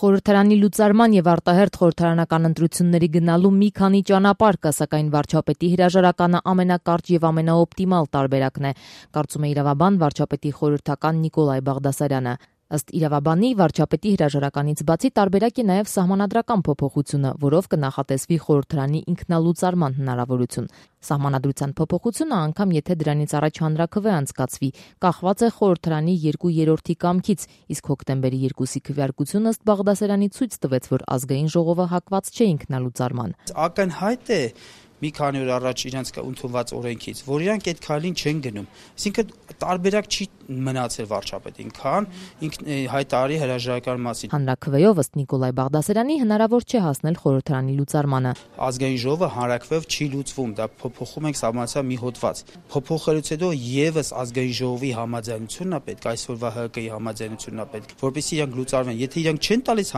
Խորհրդարանի լուծարման եւ արտահերթ խորհրդարանական ընտրությունների գնալու մի քանի ճանապարհ կա, սակայն վարչապետի հրաժարականը ամենակարճ եւ ամենաօպտիմալ տարբերակն է, կարծում է իրավաբան վարչապետի խորհրդական Նիկոլայ Բաղդասարյանը։ Ըստ իրավաբանի, վարչապետի հրաժարականից բացի տարբերակ է նաև սահմանադրական փոփոխությունը, որով կնախատեսվի խորհրդարանի ինքնալուծարման հնարավորություն։ Սահմանադրության փոփոխությունը, անգամ եթե դրանից առաջ հանրաքվե անցկացվի, կախված է խորհրդարանի 2/3 կամքից, իսկ հոկտեմբերի 2-ի քվեարկությունը ըստ Բաղդասարյանի ցույց տվեց, որ ազգային ժողովը հակված չէ ինքնալուծարման։ Ակնհայտ է մի քանի օր առաջ իրենց ընդունված օրենքից, որ իրանք այդ քայլին չեն գնում։ Այսինքն տարբերակ չի մնացել վարչապետին, քան ինքն հայտարարի հրաժարական մասին։ Հանրաքվեով ըստ Նիկոլայ Բաղդասարյանի հնարավոր չէ հասնել խորհրդարանի լուծարմանը։ Ազգային ժողովը հանրաքվեով չի լուծվում, դա փոփոխում ենք սահմանադրության մի հոդված։ Փոփոխելուց հետո եւս ազգային ժողովի համաձայնությունն է պետք, այսօրվա ՀԿ-ի համաձայնությունն է պետք, որպեսզի իրանք լուծարվեն։ Եթե իրանք չեն տալիս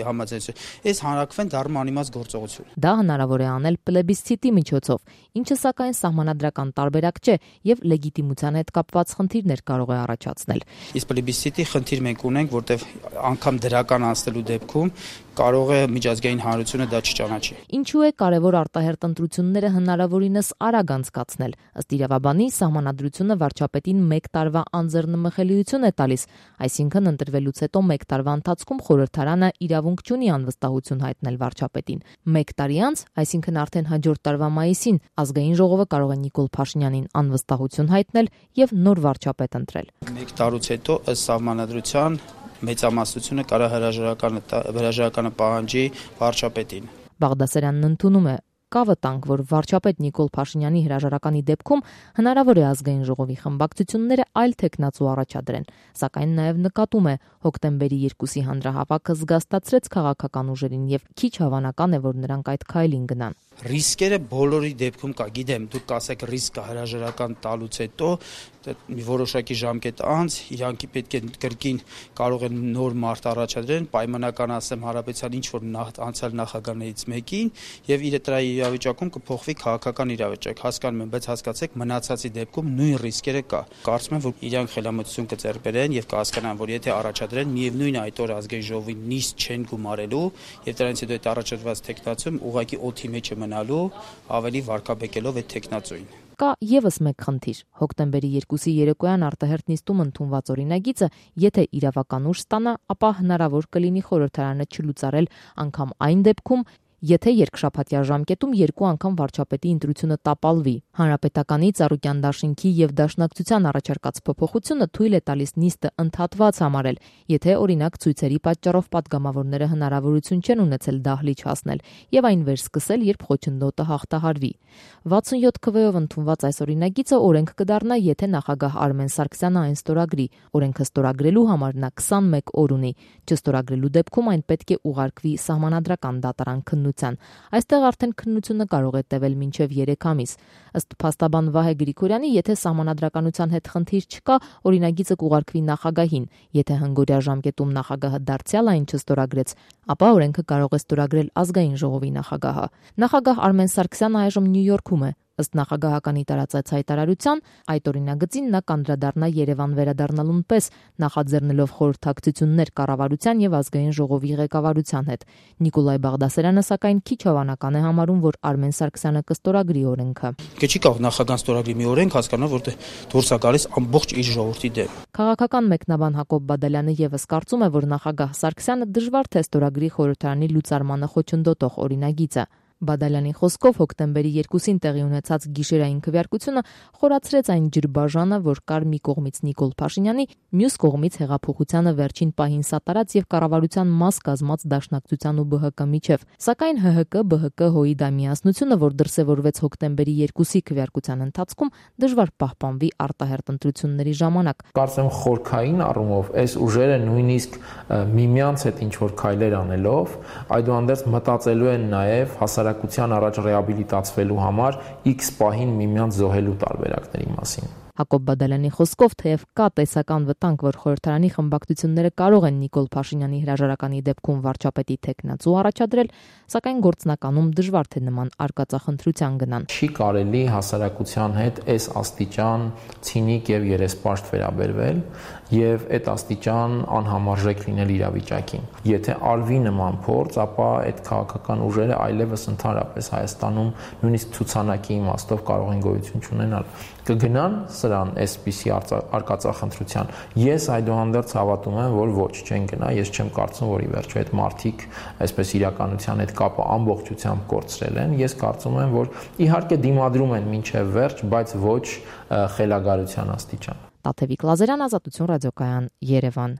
համաձայնություն, այս հանրաքվեն դառնում անիմաստ գործողություն։ Դա հնարավոր է անել պլեբիսցիտի միջոցով, ինչը սակայն սահմանադրական տարբերակ չէ եւ լեգիտիմության հետ կապված խնդիրներ կարող է առաջացնել։ Իսկ պլեբիսցիտի խնդիր մենք ունենք, որտեղ անգամ դրական անցնելու դեպքում կարող է միջազգային հանրությունը դա չճանաչի։ Ինչու է կարևոր արտահերթ ընտրությունները հնարավորինս արագ անցկացնել։ Ըստ իրավաբանի, սահմանադրությունը վարչապետին 1 տարվա անձեռնմխելիություն է տալիս, այսինքն ընտրվելուց հետո 1 տարվա ընթացքում խորհրդարանը իրավունք չունի անվստահություն հայտնել վարչապետին։ 1 տարի անց, այսինքն արդեն հաջորդ տարվա մայիսին, ազգային ժողովը կարող է Նիկոլ Փաշինյանին անվստահություն հայտնել եւ նոր վարչապետ ընտրել։ 1 տարուց հետո ըստ սահմանադրության մեծամասնությունը կարող հրաժարականը պահանջի վարչապետին։ Բաղդասարյանն ընդունում է, կա վտանգ, որ վարչապետ Նիկոլ Փաշինյանի հրաժարականի դեպքում հնարավոր է ազգային ժողովի խմբակցությունները այլ թեկնածու առաջադրեն, սակայն նաև նկատում է, հոկտեմբերի 2-ի հանրահավաքը զգաստացրեց քաղաքական ուժերին եւ քիչ հավանական է, որ նրանք այդ քայլին գնան։ Ռիսկերը բոլորի դեպքում կա, գիտեմ, դուք կասեք ռիսկ կա հրաժարական տալուց հետո, մի որոշակի ժամկետ անց իրանք պետք է կրկին կարող են նոր մարդ առաջադրեն, պայմանական ասեմ հարաբերության ինչ որ անցյալ նախագահներից մեկին եւ իր դրա իրավիճակում կփոխվի քաղաքական իրավիճակ, հասկանում եմ, բայց հասկացեք մնացածի դեպքում նույն ռիսկերը կա։ Կարծում եմ, որ իրանք խելամտություն կձեռք բերեն եւ կհասկանան, որ եթե առաջադրեն, միևնույն այդ օր ազգային ժողովի նիստ չեն գումարելու եւ դրանից հետո այդ առաջադրված տեխնացում ուղղակի օդի մեջ է մնալու, ավելի վարկաբեկելով այդ տեխնացուին։ Կա եւս մեկ խնդիր։ Հոկտեմբերի 2-ի երեկոյան արտահերթ նիստում ընդունված օրինագիծը, եթե իրավական ուժ ստանա, ապա հնարավոր կլինի խորհրդարանը չլուծարել անգամ այն դեպքում, եթե երկշաբաթյա ժամկետում 2 անգամ վարչապետի ընտրությունը տապալվի։ Հանրապետականի Ծառուկյան դաշինքի եւ Դաշնակցության առաջարկած փոփոխությունը թույլ է տալիս նիստը ընդհատված համարել, եթե օրինակ ցույցերի պատճառով падգամավորները հնարավորություն չեն ունեցել դահլիճ հասնել եւ այն վերսկսել, երբ խոչընդոտը հաղթահարվի։ 67 քվեով ընդունված այս օրինագիծը օրենք կդառնա, եթե նախագահ Արմեն Սարգսյանը այն ստորագրի։ Օրենքը ստորագրելու համար նա 21 օր ունի։ Չստորագրելու դեպքում այն պետք է ուղարկվի սահմանադրական դատարան քննության։ Այստեղ արդեն քննությունը կարող է տևել մինչև 3 ամիս։ Ըստ փաստաբան Վահե Գրիգորյանի, եթե սահմանադրականության հետ խնդիր չկա, օրինագիծը կուղարկվի նախագահին։ Եթե հնգօրյա ժամկետում նախագահը դարձյալ այն չստորագրեց, ապա օրենքը կարող է ստորագրել ազգային ժողովի նախագահը։ Նախագահ Արմեն Սարգսյանը այժմ Նյու Յորքում է։ Ըստ նախագահականի տարածած հայտարարության, այդ օրինագծին նա կանդրադառնա Երևան վերադառնալուն պես, նախաձեռնելով խորհրդակցություններ կառավարության եւ ազգային ժողովի ղեկավարության հետ։ Նիկոլայ Բաղդասարյանը սակայն քիչ հավանական է համարում, որ Արմեն Սարգսյանը կստորագրի օրենքը։ Չի կարող նախագահան ստորագրի մի օրենք, հասկանալ, որ դուրս է գալիս ամբողջ իր ժողովրդի դեմ։ Քաղաքական մեկնաբան Հակոբ Բադալյանը եւս կարծում է, որ նախագահ Սարգսյանը դժվար թե ստորագրի խորհրդարանի լուծարմանը խոչընդոտող օրինագիծը։ Բադալյանի խոսքով հոկտեմբերի 2-ին տեղի ունեցած գիշերային քվեարկությունը խորացրեց այն ջրբաժանը, որ կար մի կողմից Նիկոլ Փաշինյանի, մյուս կողմից հեղափոխությանը վերջին պահին սատարած եւ կառավարության մաս կազմած Դաշնակցության ու ԲՀԿ միջև։ Սակայն ՀՀԿ-ԲՀԿ-ՀՕ-ի դամիասնությունը, որ դրսևորվեց հոկտեմբերի 2-ի քվեարկության ընթացքում, դժվար պահպանվի արտահերթ ընտրությունների ժամանակ։ Կարծեմ խորքային առումով այս ուժերը նույնիսկ միմյանց հետ ինչ որ քայլեր անելով, այդուհանդերձ մտածելու են նաեւ հասարակության առաջ ռեաբիլիտացվելու համար X պահին միմյանց զոհելու տարբերակների մասին։ Հակոբ Բադալյանի խոսքով թեև կա տեսական վտանգ, որ խորհրդարանի խմբակցությունները կարող են Նիկոլ Փաշինյանի հրաժարականի դեպքում վարչապետի թեկնածու առաջադրել, սակայն գործնականում դժվար թե նման արկածախնդրության գնան։ Չի կարելի հասարակության հետ այս աստիճան ցինիկ եւ երեսպաշտ վերաբերվել, եւ այդ աստիճան անհամարժեք լինել իրավիճակին։ Եթե արվի նման փորձ, ապա այդ քաղաքական ուժերը այլևս ընդհանրապես Հայաստանում նույնիսկ ցուցանակի իմաստով կարող են գոյություն չունենալ։ Կգնան սրան այսպիսի արկածախնդրության։ Ես այդուհանդերձ հավատում եմ, որ ոչ, չեն գնա, ես չեմ կարծում, որ ի վերջո այդ մարդիկ այսպես իրականության հետ կապը ամբողջությամբ կորցրել են։ Ես կարծում եմ, որ իհարկե դիմադրում են մինչև վերջ, բայց ոչ խելագարության աստիճան։ Տաթևիկ Լազարյան, Ազատություն ռադիոկայան, Երևան։